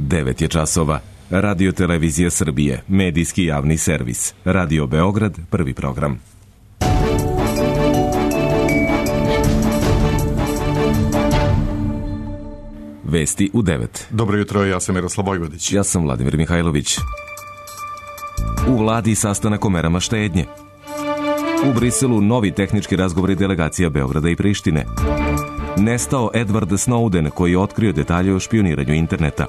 9 je časova. Radio Televizija Srbije, medijski javni servis. Radio Beograd, prvi program. Vesti u 9. Dobro jutro, ja sam Miroslav Vojvodić. Ja sam Vladimir Mihajlović. U vladi sastanak o merama štednje. U Briselu novi tehnički razgovori delegacija Beograda i Prištine. Nestao Edward Snowden koji je otkrio detalje o špioniranju interneta.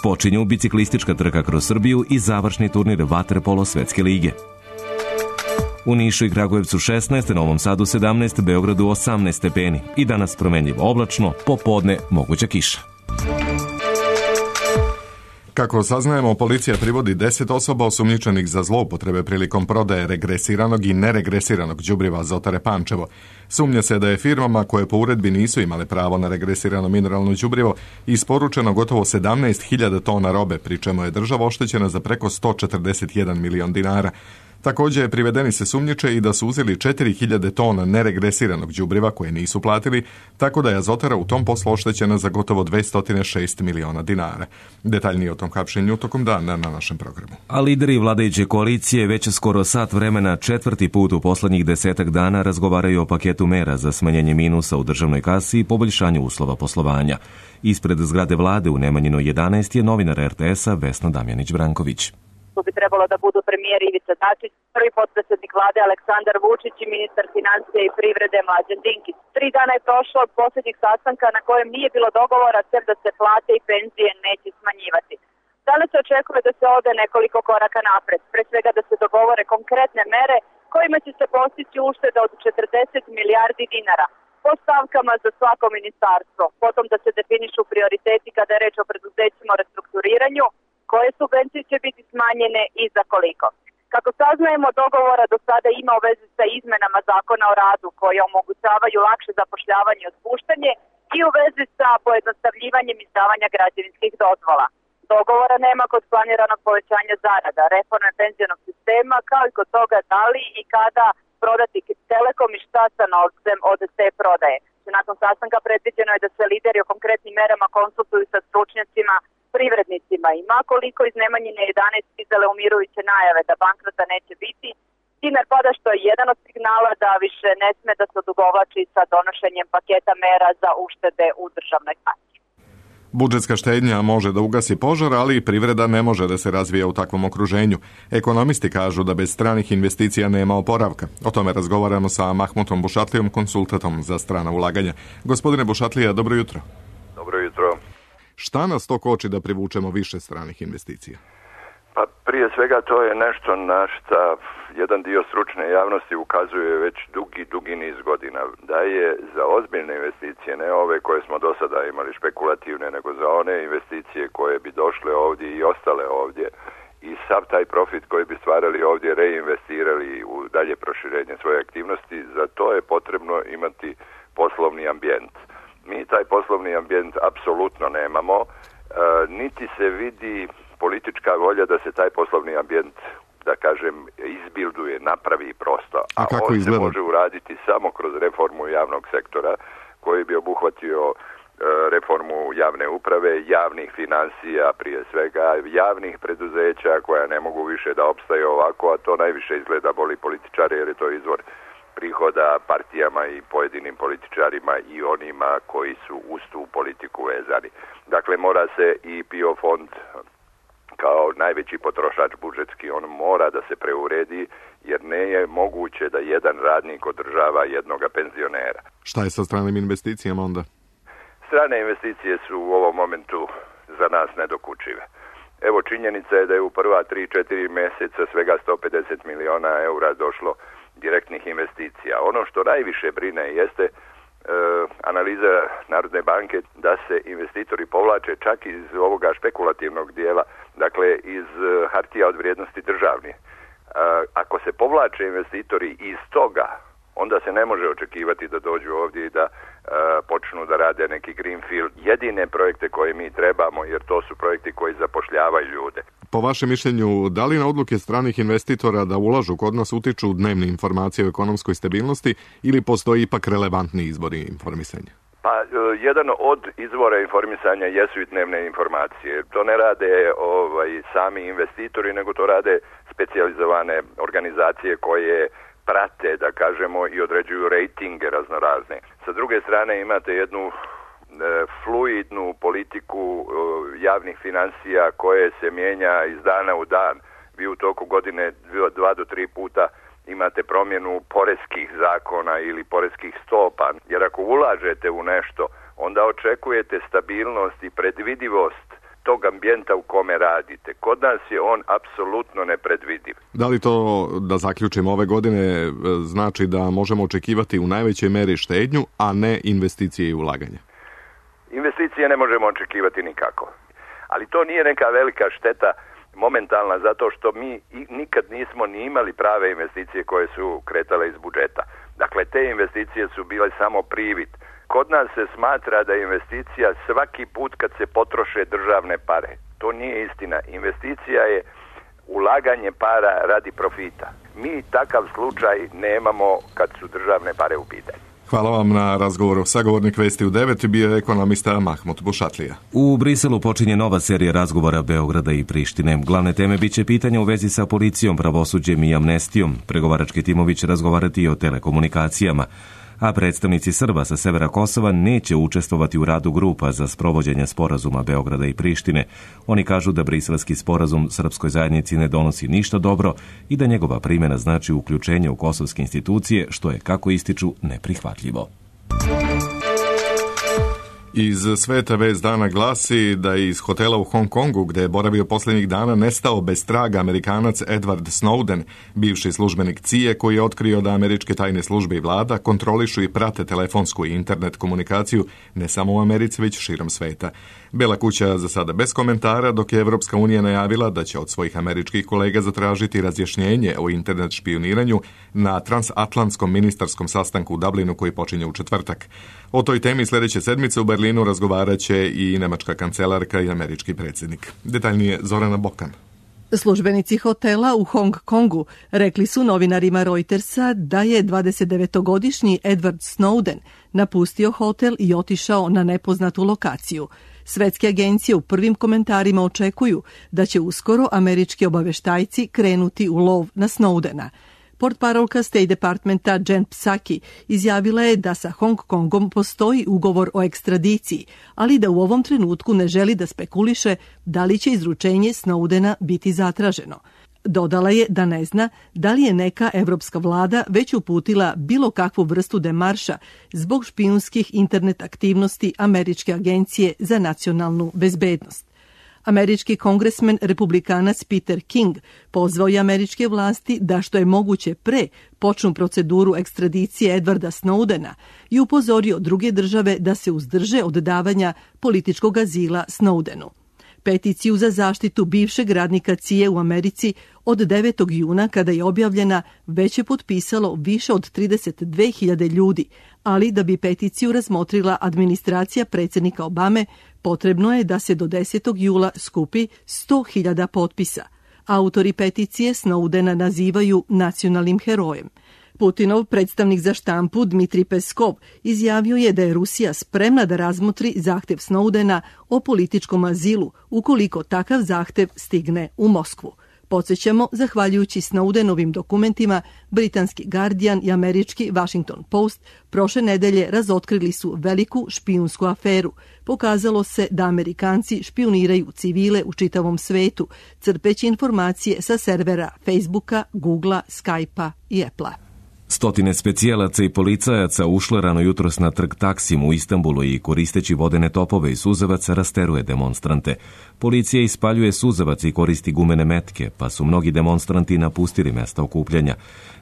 Počinju biciklistička trka kroz Srbiju i završni turnir vaterpolo svetske lige. U Nišu i Kragujevcu 16, Novom Sadu 17, Beogradu 18 stepeni i danas promenljivo oblačno, popodne moguća kiša. Kako saznajemo, policija privodi 10 osoba osumnjičenih za zloupotrebe prilikom prodaje regresiranog i neregresiranog đubriva Azotare Pančevo. Sumnja se da je firmama koje po uredbi nisu imale pravo na regresirano mineralno đubrivo isporučeno gotovo 17.000 tona robe, pri čemu je država oštećena za preko 141 milion dinara. Također privedeni se sumnjiče i da su uzeli 4.000 tona neregresiranog đubriva koje nisu platili, tako da je Azotara u tom poslu oštećena za gotovo 206 miliona dinara. Detaljnije o tom hapšenju tokom dana na našem programu. A lideri vladajuće koalicije već skoro sat vremena, četvrti put u poslednjih 10 dana razgovaraju o paketu mera za smanjenje minusa u državnoj kasi i poboljšanju uslova poslovanja. Ispred zgrade vlade u Nemanjinoj 11 je novinar RTS-a Vesna Damjanić-Branković. Tu bi trebalo da budu premijer Ivica Dačić, prvi potpredsjednik vlade Aleksandar Vučić i ministar financija i privrede Mlađan Dinkić. 3 dana je prošlo od posljednjih sastanka na kojem nije bilo dogovora sem da se plate i penzije neće smanjivati. Danas se očekuje da se ode nekoliko koraka napred, pre svega da se dogovore konkretne mere kojima će se postići ušteda od 40 milijardi dinara po stavkama za svako ministarstvo, potom da se definišu prioriteti kada je reč o preduzećima o restrukturiranju, koje subvencije će biti smanjene i za koliko. Kako saznajemo, dogovora do sada ima u vezi sa izmenama zakona o radu koje omogućavaju lakše zapošljavanje i otpuštanje i u vezi sa pojednostavljivanjem izdavanja građevinskih dozvola. Dogovora nema kod planiranog povećanja zarada, reforme penzionog sistema, kao i kod toga da li i kada prodati Telekom i šta sa novcem od te prodaje. Nakon sastanka predviđeno je da se lideri o konkretnim merama konsultuju sa stručnjacima, privrednicima i makoliko iz Nemanjine 11 stizale umirujuće najave da bankrota neće biti, dinar pada što je jedan od signala da više ne sme da se odugovlači sa donošenjem paketa mera za uštede u državnoj kasi. Budžetska štednja može da ugasi požar, ali i privreda ne može da se razvija u takvom okruženju. Ekonomisti kažu da bez stranih investicija nema oporavka. O tome razgovaramo sa Mahmutom Bušatlijom, konsultantom za strana ulaganja. Gospodine Bušatlija, dobro jutro. Dobro jutro. Šta nas to koči da privučemo više stranih investicija? Pa prije svega to je nešto na što jedan dio stručne javnosti ukazuje već dugi niz godina. Da je za ozbiljne investicije, ne ove koje smo do sada imali špekulativne, nego za one investicije koje bi došle ovdje i ostale ovdje i sav taj profit koji bi stvarali ovdje reinvestirali u dalje proširenje svoje aktivnosti, za to je potrebno imati poslovni ambijent. Mi taj poslovni ambijent apsolutno nemamo, niti se vidi politička volja da se taj poslovni ambijent, da kažem, izbilduje, napravi prosto. A kako on izgleda? Se može uraditi samo kroz reformu javnog sektora koji bi obuhvatio reformu javne uprave, javnih financija prije svega, javnih preduzeća koja ne mogu više da opstaju ovako, a to najviše izgleda boli političare jer je to izvor prihoda partijama i pojedinim političarima i onima koji su uz tu politiku vezani. Dakle, mora se i PIO fond kao najveći potrošač budžetski, on mora da se preuredi jer ne je moguće da jedan radnik održava jednoga penzionera. Šta je sa stranim investicijama onda? Strane investicije su u ovom momentu za nas nedokučive. Evo, činjenica je da je u prva 3-4 mjeseca svega 150 miliona eura došlo direktnih investicija. Ono što najviše brine jeste analiza Narodne banke da se investitori povlače čak iz ovoga špekulativnog dijela, dakle iz hartija od vrijednosti državnih. Ako se povlače investitori iz toga, onda se ne može očekivati da dođu ovdje i da počnu da rade neki greenfield. Jedine projekte koje mi trebamo, jer to su projekti koji zapošljavaju ljude. Po vašem mišljenju, da li na odluke stranih investitora da ulažu kod nas utiču dnevne informacije o ekonomskoj stabilnosti ili postoji ipak relevantni izbori informisanja? Pa jedan od izvora informisanja jesu i dnevne informacije. To ne rade sami investitori, nego to rade specijalizovane organizacije koje prate, da kažemo, i određuju rejtinge raznorazne. Sa druge strane imate jednu fluidnu politiku javnih financija koje se mijenja iz dana u dan. Vi u toku godine 2 do 3 puta imate promjenu poreskih zakona ili poreskih stopa, jer ako ulažete u nešto, onda očekujete stabilnost i predvidivost tog ambijenta u kome radite. Kod nas je on apsolutno nepredvidiv. Da li to, da zaključimo, ove godine znači da možemo očekivati u najvećoj meri štednju, a ne investicije i ulaganja? Investicije ne možemo očekivati nikako. Ali to nije neka velika šteta momentalna, zato što mi nikad nismo ni imali prave investicije koje su kretale iz budžeta. Dakle, te investicije su bile samo privid. Kod nas se smatra da je investicija svaki put kad se potroše državne pare. To nije istina. Investicija je ulaganje para radi profita. Mi takav slučaj nemamo kad su državne pare u pitanju. Hvala vam na razgovoru. Sagovornik Vesti u 9 bio je ekonomista Mahmut Bušatlija. U Briselu počinje nova serija razgovora Beograda i Prištine. Glavne teme biće pitanja u vezi sa policijom, pravosuđem i amnestijom. Pregovarački timovi će razgovarati i o telekomunikacijama. A predstavnici Srba sa severa Kosova neće učestvovati u radu grupa za sprovođenje sporazuma Beograda i Prištine. Oni kažu da briselski sporazum srpskoj zajednici ne donosi ništa dobro i da njegova primjena znači uključenje u kosovske institucije, što je, kako ističu, neprihvatljivo. Iz sveta vest dana glasi da je iz hotela u Hong Kongu, gde je boravio posljednjih dana, nestao bez traga Amerikanac Edward Snowden, bivši službenik CIA, koji je otkrio da američke tajne službe i vlada kontrolišu i prate telefonsku i internet komunikaciju ne samo u Americi, već širom sveta. Bela kuća za sada bez komentara, dok je Evropska unija najavila da će od svojih američkih kolega zatražiti razjašnjenje o internet špijuniranju na transatlantskom ministarskom sastanku u Dublinu koji počinje u četvrtak. O toj temi sljedeće sedmice u Berlinu razgovarat će i nemačka kancelarka i američki predsjednik. Detaljnije Zorana Bokan. Službenici hotela u Hong Kongu rekli su novinarima Reutersa da je 29-godišnji Edward Snowden napustio hotel i otišao na nepoznatu lokaciju. Svetske agencije u prvim komentarima očekuju da će uskoro američki obaveštajci krenuti u lov na Snowdena. Portparolka State Departmenta Jen Psaki izjavila je da sa Hong Kongom postoji ugovor o ekstradiciji, ali da u ovom trenutku ne želi da spekuliše da li će izručenje Snowdena biti zatraženo. Dodala je da ne zna da li je neka evropska vlada već uputila bilo kakvu vrstu demarša zbog špijunskih internet aktivnosti Američke agencije za nacionalnu bezbednost. Američki kongresmen republikanac Peter King pozvao je američke vlasti da što je moguće pre počnu proceduru ekstradicije Edwarda Snowdena i upozorio druge države da se uzdrže od davanja političkog azila Snowdenu. Peticiju za zaštitu bivšeg radnika CIA u Americi od 9. juna, kada je objavljena, već je potpisalo više od 32.000 ljudi, ali da bi peticiju razmotrila administracija predsjednika Obame, potrebno je da se do 10. jula skupi 100.000 potpisa. Autori peticije Snowdena nazivaju nacionalnim herojem. Putinov predstavnik za štampu Dmitri Peskov izjavio je da je Rusija spremna da razmotri zahtjev Snowdena o političkom azilu ukoliko takav zahtjev stigne u Moskvu. Podsjećamo, zahvaljujući Snowdenovim dokumentima, britanski Guardian i američki Washington Post prošle nedelje razotkrili su veliku špijunsku aferu. Pokazalo se da Amerikanci špijuniraju civile u čitavom svetu, crpeći informacije sa servera Facebooka, Googlea, Skypea i Applea. Stotine specijalaca i policajaca ušle rano jutros na trg Taksim u Istanbulu i koristeći vodene topove i suzavac rasteruje demonstrante. Policija ispaljuje suzavac i koristi gumene metke, pa su mnogi demonstranti napustili mesta okupljanja.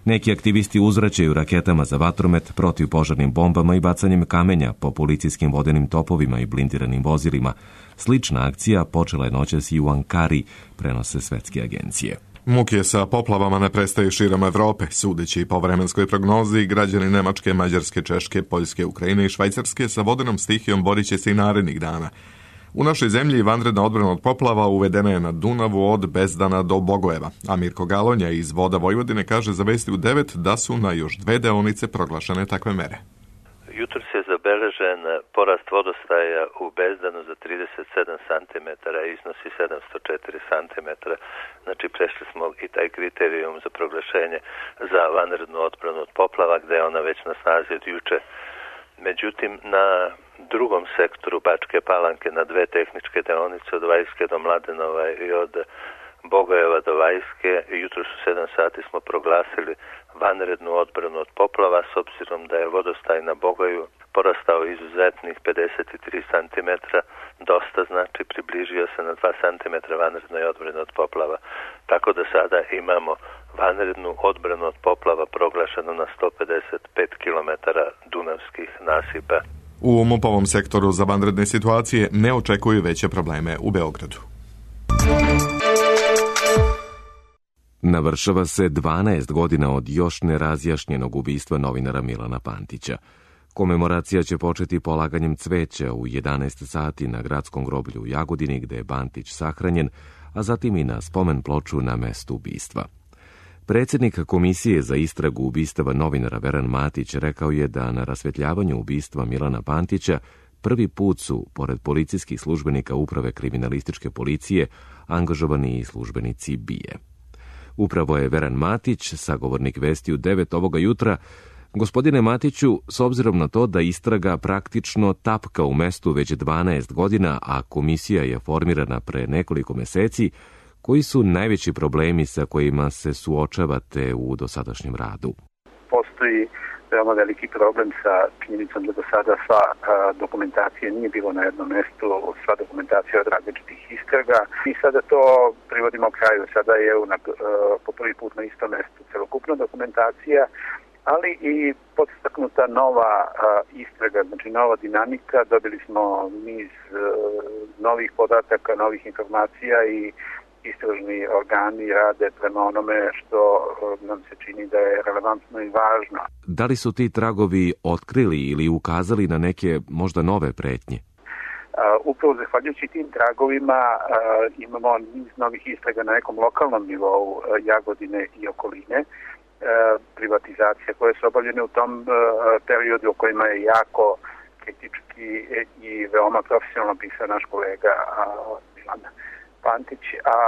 Neki aktivisti uzvraćaju raketama za vatromet, protivpožarnim bombama i bacanjem kamenja po policijskim vodenim topovima i blindiranim vozilima. Slična akcija počela je noćas i u Ankari, prenose svetske agencije. Muke sa poplavama ne prestaju širom Evrope. Sudeći po vremenskoj prognozi, građani Nemačke, Mađarske, Češke, Poljske, Ukrajine i Švajcarske sa vodenom stihijom borit će se i narednih dana. U našoj zemlji vanredna odbrana od poplava uvedena je na Dunavu od Bezdana do Bogojeva, a Mirko Galonja iz Voda Vojvodine kaže za Vesti u 9 da su na još 2 deonice proglašene takve mere. Jutro se zabeležilo zabeležen porast vodostaja u Bezdanu za 37 cm i iznosi 704 cm. Znači prešli smo i taj kriterijum za proglašenje za vanrednu odbranu od poplava, gde je ona već na snazi od juče. Međutim, na drugom sektoru Bačke Palanke, na dve tehničke deonice od Vajske do Mladenova i od Bogojeva do Vajske, jutros u 7 sati smo proglasili vanrednu odbranu od poplava, s obzirom da je vodostaj na Bogoju porastao izuzetnih 53 cm, dosta, znači približio se na 2 cm vanrednoj odbrani od poplava, tako da sada imamo vanrednu odbranu od poplava proglašenu na 155 km dunavskih nasipa. U MUP-ovom sektoru za vanredne situacije ne očekuju veće probleme u Beogradu. Navršava se 12 godina od još nerazjašnjenog ubistva novinara Milana Pantića. Komemoracija će početi polaganjem cveća u 11 sati na gradskom groblju u Jagodini, gde je Pantić sahranjen, a zatim i na spomen ploču na mestu ubistva. Predsjednik Komisije za istragu ubistava novinara Veran Matić rekao je da na rasvetljavanju ubistva Milana Pantića prvi put su, pored policijskih službenika Uprave kriminalističke policije, angažovani i službenici BIA. Upravo je Veran Matić, sagovornik Vesti u 9 ovoga jutra. Gospodine Matiću, s obzirom na to da istraga praktično tapka u mestu već 12 godina, a komisija je formirana pre nekoliko meseci, koji su najveći problemi sa kojima se suočavate u dosadašnjem radu? Postoji veoma veliki problem sa činjenicom da do sada sva dokumentacija nije bilo na jednom mestu, sva dokumentacija od različitih istraga. I sada to privodimo kraju. Sada je po prvi put na istom mestu celokupna dokumentacija, ali i podstaknuta nova istraga, znači nova dinamika. Dobili smo niz novih podataka, novih informacija i istražni organi rade prema onome što nam se čini da je relevantno i važno. Da li su ti tragovi otkrili ili ukazali na neke možda nove pretnje? Upravo zahvaljujući tim tragovima imamo niz novih istraga na nekom lokalnom nivou Jagodine i okoline. Privatizacije koje su obavljene u tom periodu o kojima je jako kritički i veoma profesionalno pisao naš kolega Milan Pantić, a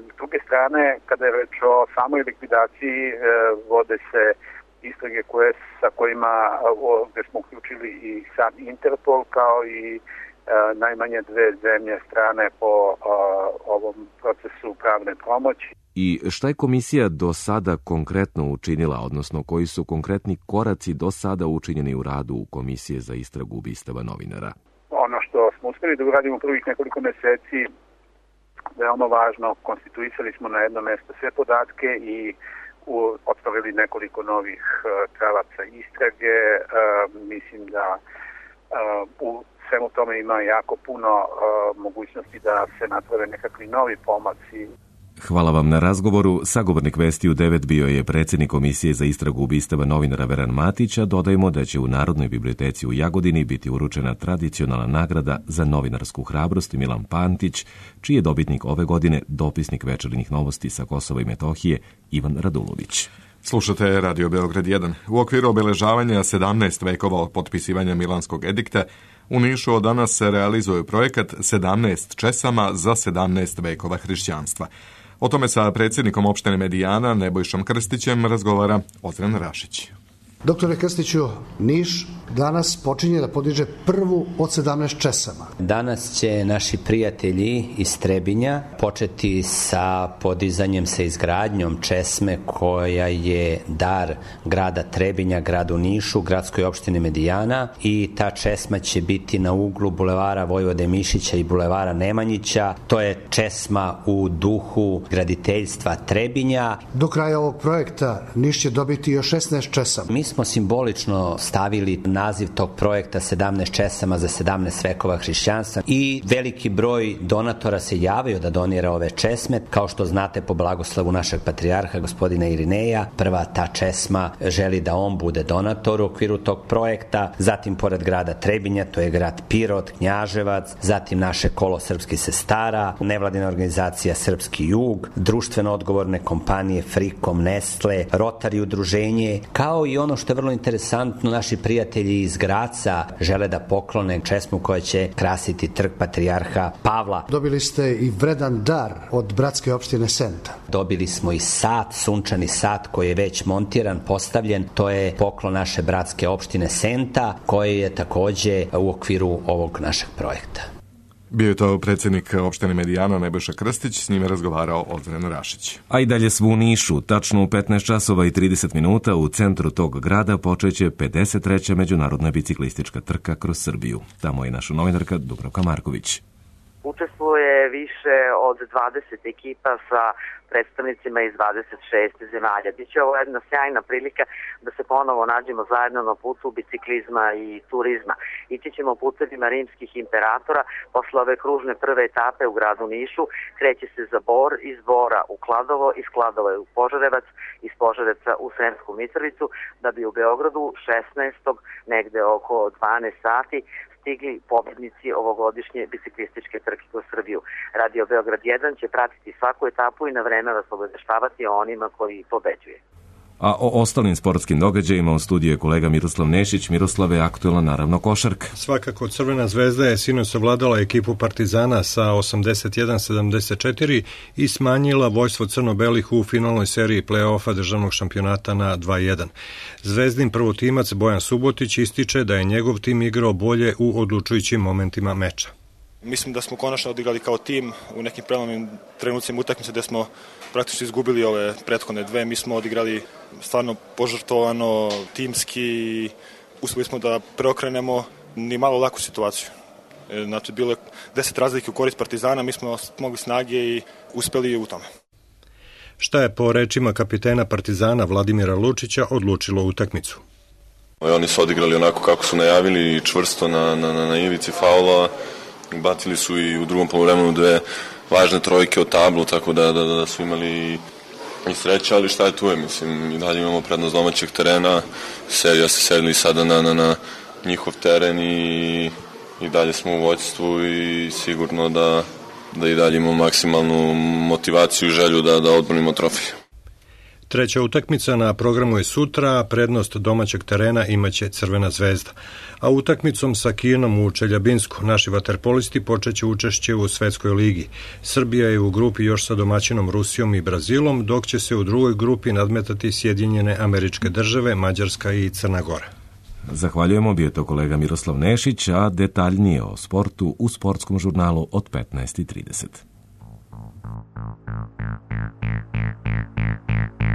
s druge strane, kada je reč o samoj likvidaciji, vode se istrage sa kojima gde smo uključili i sam Interpol, kao i najmanje dve zemlje strane po ovom procesu pravne pomoći. I šta je komisija do sada konkretno učinila, odnosno koji su konkretni koraci do sada učinjeni u radu Komisije za istragu ubistava novinara? Ono što smo uspeli da uradimo u prvih nekoliko meseci, veoma važno, konstituisali smo na jedno mesto sve podatke i otvorili nekoliko novih pravaca istrage. Mislim da u svemu tome ima jako puno mogućnosti da se naprave nekakvi novi pomaci. Hvala vam na razgovoru. Sagovornik Vesti u 9 bio je predsjednik Komisije za istragu ubistava novinara Veran Matića. Dodajmo da će u Narodnoj biblioteci u Jagodini biti uručena tradicionalna nagrada za novinarsku hrabrost Milan Pantić, čiji je dobitnik ove godine dopisnik Večernjih novosti sa Kosova i Metohije Ivan Radulović. Slušate Radio Beograd 1. U okviru obeležavanja 17 vekova od potpisivanja Milanskog edikta, u Nišu od danas se realizuje projekat 17 česama za 17 vekova hrišćanstva. O tome sa predsjednikom opštine Medijana Nebojšom Krstićem razgovara Ozren Rašić. Doktore Krstiću, Niš danas počinje da podiže prvu od 17 česama. Danas će naši prijatelji iz Trebinja početi sa podizanjem, sa izgradnjom česme koja je dar grada Trebinja, gradu Nišu, gradskoj opštini Medijana, i ta česma će biti na uglu bulevara Vojvode Mišića i bulevara Nemanjića. To je česma u duhu graditeljstva Trebinja. Do kraja ovog projekta Niš će dobiti još 16 česama. Mi smo simbolično stavili naziv tog projekta 17 česama za 17 vekova hrišćanstva i veliki broj donatora se javio da donira ove česme. Kao što znate, po blagoslovu našeg patrijarha gospodina Irineja, prva ta česma želi da on bude donator u okviru tog projekta. Zatim pored grada Trebinja, to je grad Pirot, Knjaževac, zatim naše kolo srpskih sestara, nevladina organizacija Srpski jug, društveno odgovorne kompanije Frikom, Nestle, Rotary udruženje, kao i ono što je vrlo interesantno, naši prijatelji prijatelji iz Graca žele da poklone česmu koja će krasiti trg Patrijarha Pavla. Dobili ste i vredan dar od bratske opštine Senta. Dobili smo i sat, sunčani sat koji je već montiran, postavljen. To je poklon naše bratske opštine Senta, koji je takođe u okviru ovog našeg projekta. Bio je to predsjednik opštine Medijana Nebojša Krstić, s njime razgovarao Ozren Rašić. A i dalje svu u Nišu, tačno u 15 časova i 30 minuta u centru tog grada počeće 53. međunarodna biciklistička trka kroz Srbiju. Tamo je naša novinarka Dubravka Marković. Učestvuje više od 20 ekipa sa predstavnicima iz 26 zemalja. Biće ovo jedna sjajna prilika da se ponovo nađemo zajedno na putu biciklizma i turizma. Ići ćemo putevima rimskih imperatora posle ove kružne prve etape u gradu Nišu. Kreće se za Bor, iz Bora u Kladovo, iz Kladova u Požarevac, iz Požarevca u Sremsku Mitrovicu, da bi u Beogradu 16. negde oko 12 sati stigli pobednici ovogodišnje biciklističke trke kroz Srbiju. Radio Beograd 1 će pratiti svaku etapu i na vreme vas obaveštavati o onima koji pobeđuje. A o ostalim sportskim događajima u studiju je kolega Miroslav Nešić. Miroslave, aktuelna naravno košarka. Svakako Crvena zvezda je sinoć savladala ekipu Partizana sa 81-74 i smanjila vojstvo crno-belih u finalnoj seriji play-offa državnog šampionata na 2-1. Zvezdin prvotimac Bojan Subotić ističe da je njegov tim igrao bolje u odlučujućim momentima meča. Mislim da smo konačno odigrali kao tim u nekim prelomnim trenucima utakmice gde smo praktično izgubili ove prethodne dve. Mi smo odigrali stvarno požrtvovano, timski, uspeli smo da preokrenemo ni malo laku situaciju. Znači, bilo je 10 razlike u korist Partizana, mi smo mogli snage i uspeli u tome. Šta je po rečima kapitena Partizana Vladimira Lučića odlučilo utakmicu? Oni su odigrali onako kako su najavili, čvrsto na ivici faula. Bacili su i u drugom poluvremenu dve važne trojke od tablu, tako da su imali i sreće, ali šta je tu je, mislim, i dalje imamo prednost domaćeg terena, serija se sedli sada na njihov teren i dalje smo u vođstvu i sigurno da i dalje imamo maksimalnu motivaciju i želju da odbranimo trofej. Treća utakmica na programu je sutra, prednost domaćeg terena imaće Crvena zvezda. A utakmicom sa Kinom u Čeljabinsku naši vaterpolisti počeće učešće u Svetskoj ligi. Srbija je u grupi još sa domaćinom Rusijom i Brazilom, dok će se u drugoj grupi nadmetati Sjedinjene Američke Države, Mađarska i Crna Gora. Zahvaljujemo, bio je to kolega Miroslav Nešić, a detaljnije o sportu u sportskom žurnalu od 15:30.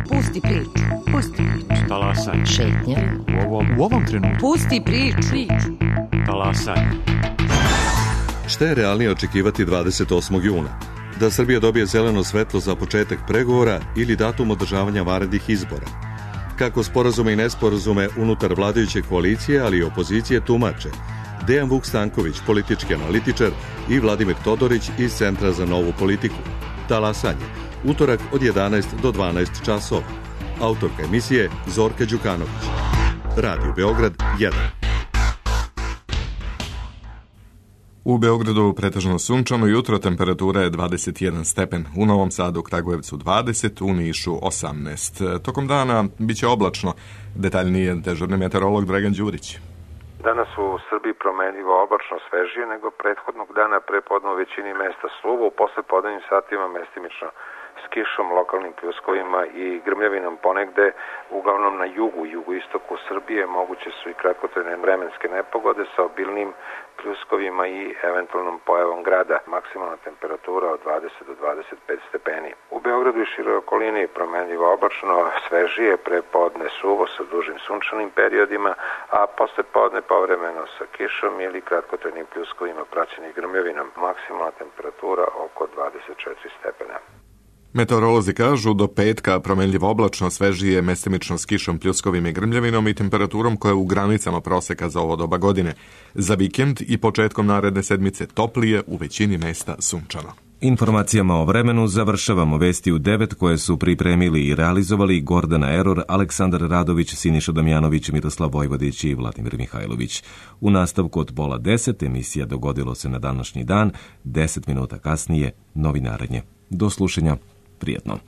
Pusti priču. Pusti priču. Talasaj. Šetnja. U ovom trenutku. Pusti priču. Talasaj. Šta je realnije očekivati 28. juna? Da Srbija dobije zeleno svetlo za početak pregovora ili datum održavanja vanrednih izbora? Kako sporazume i nesporazume unutar vladajuće koalicije, ali i opozicije tumače Dejan Vuk Stanković, politički analitičar, i Vladimir Todorić iz Centra za novu politiku. Talasanje. Utorak od 11 do 12 časova. Autorka emisije Zorka Đukanović. Radio Beograd 1. U Beogradu pretežno sunčano jutro, temperatura je 21 stepen. U Novom Sadu, Kragujevcu 20, u Nišu 18. Tokom dana biće oblačno. Detaljnije dežurni meteorolog Dragan Đurić. Danas u Srbiji promenljivo oblačno, svežije nego prethodnog dana, prepodne u većini mesta suvo, u poslepodnevnim satima mestimično s kišom, lokalnim pljuskovima i grmljavinom ponegde, uglavnom na jugoistoku Srbije moguće su i kratkotrajne vremenske nepogode sa obilnim pljuskovima i eventualnom pojavom grada. Maksimalna temperatura od 20 do 25 stepeni. U Beogradu i široj okolini promenljivo oblačno, svežije, prepodne suvo sa dužim sunčanim periodima, a posle podne povremeno sa kišom ili kratkotrajnim pljuskovima praćenih grmljavinom. Maksimalna temperatura oko 24 stepena. Meteorolozi kažu do petka promenljivo oblačno, svežije, mestimično s kišom, pljuskovim i grmljavinom i temperaturom koja je u granicama proseka za ovo doba godine. Za vikend i početkom naredne sedmice toplije, u većini mesta sunčano. Informacijama o vremenu završavamo vesti u 9 koje su pripremili i realizovali Gordana Eror, Aleksandar Radović, Siniša Damjanović, Miroslav Vojvodić i Vladimir Mihajlović. U nastavku od 9:30 emisija Dogodilo se na današnji dan, 10 minuta kasnije novinarenje. Do slušanja, prijetno.